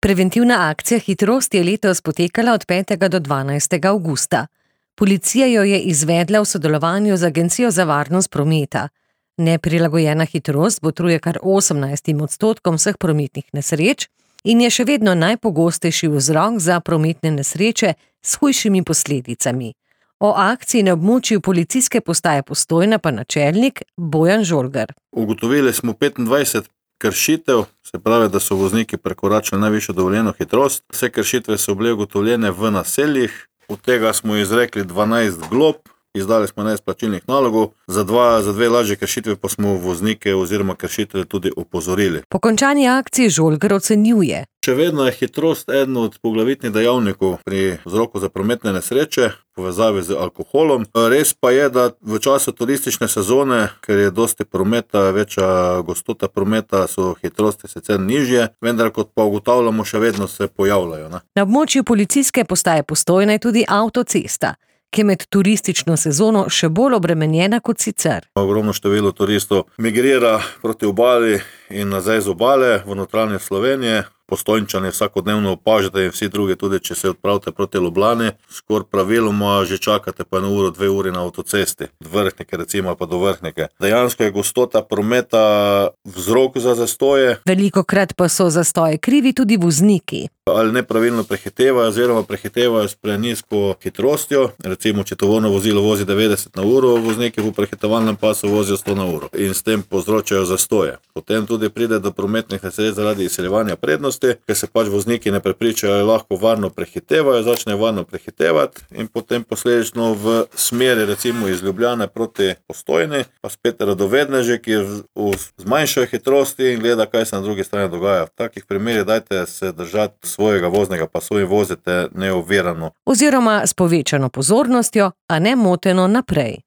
Preventivna akcija Hitrost je letos potekala od 5. do 12. avgusta. Policija jo je izvedla v sodelovanju z Agencijo za varnost prometa. Neprilagojena hitrost botruje kar 18% vseh prometnih nesreč in je še vedno najpogostejši vzrok za prometne nesreče s hujšimi posledicami. O akciji na območju policijske postaje Postojna pa načelnik Bojan Žolgar. Ugotovili smo 25 kršitev, se pravi, da so vozniki prekoračili najvišjo dovoljeno hitrost. Vse kršitve so bile ugotovljene v naseljih, od tega smo izrekli 12 glob, izdali smo 11 plačilnih nalogov, za dve lažje kršitve pa smo voznike oziroma kršitelje tudi opozorili. Po končani akciji Žolgar ocenjuje: Še vedno je hitrost eden od poglavitnih dejavnikov pri vzroku za prometne nesreče v povezavi z alkoholom. Res pa je, da v času turistične sezone, ker je dosti prometa, večja gostota prometa, so hitrosti sicer nižje, vendar kot pa ugotavljamo, še vedno se pojavljajo. Na območju policijske postaje Postojna je tudi avtocesta, ki je med turistično sezono še bolj obremenjena kot sicer. Ogromno število turistov migrira proti obali in nazaj z obale v notranjost Slovenije. Postojnčani vsakodnevno opažate in vsi drugi, tudi če se odpravite proti Ljubljani, skoraj praviloma že čakate pa 1 uro, 2 uri na avtocesti. Od Vrhnike recimo pa do Vrhnike. Dejansko je gostota prometa vzrok za zastoje. Velikokrat pa so zastoje krivi tudi vozniki. Ali nepravilno prehitevajo oziroma prehitevajo s prenizko hitrostjo. Recimo, če tovorno vozilo vozi 90 na uro, vozniki v prehitevalnem pasu vozijo 100 na uro in s tem povzročajo zastoje. Potem tudi pride do prometnih nesreč zaradi izsiljevanja prednosti, ker se pač vozniki ne prepričajo, ali lahko varno prehitevajo, začnejo varno prehitevati in potem posledično v smeri recimo iz Ljubljane proti Postojni, pa spet radovedneži, ki zmanjšajo hitrosti in gleda, kaj se na drugi strani dogaja. V takih primerih dajte se držati svojega voznega pasu in vozite neovirano. Oziroma s povečano pozornostjo, a ne moteno naprej.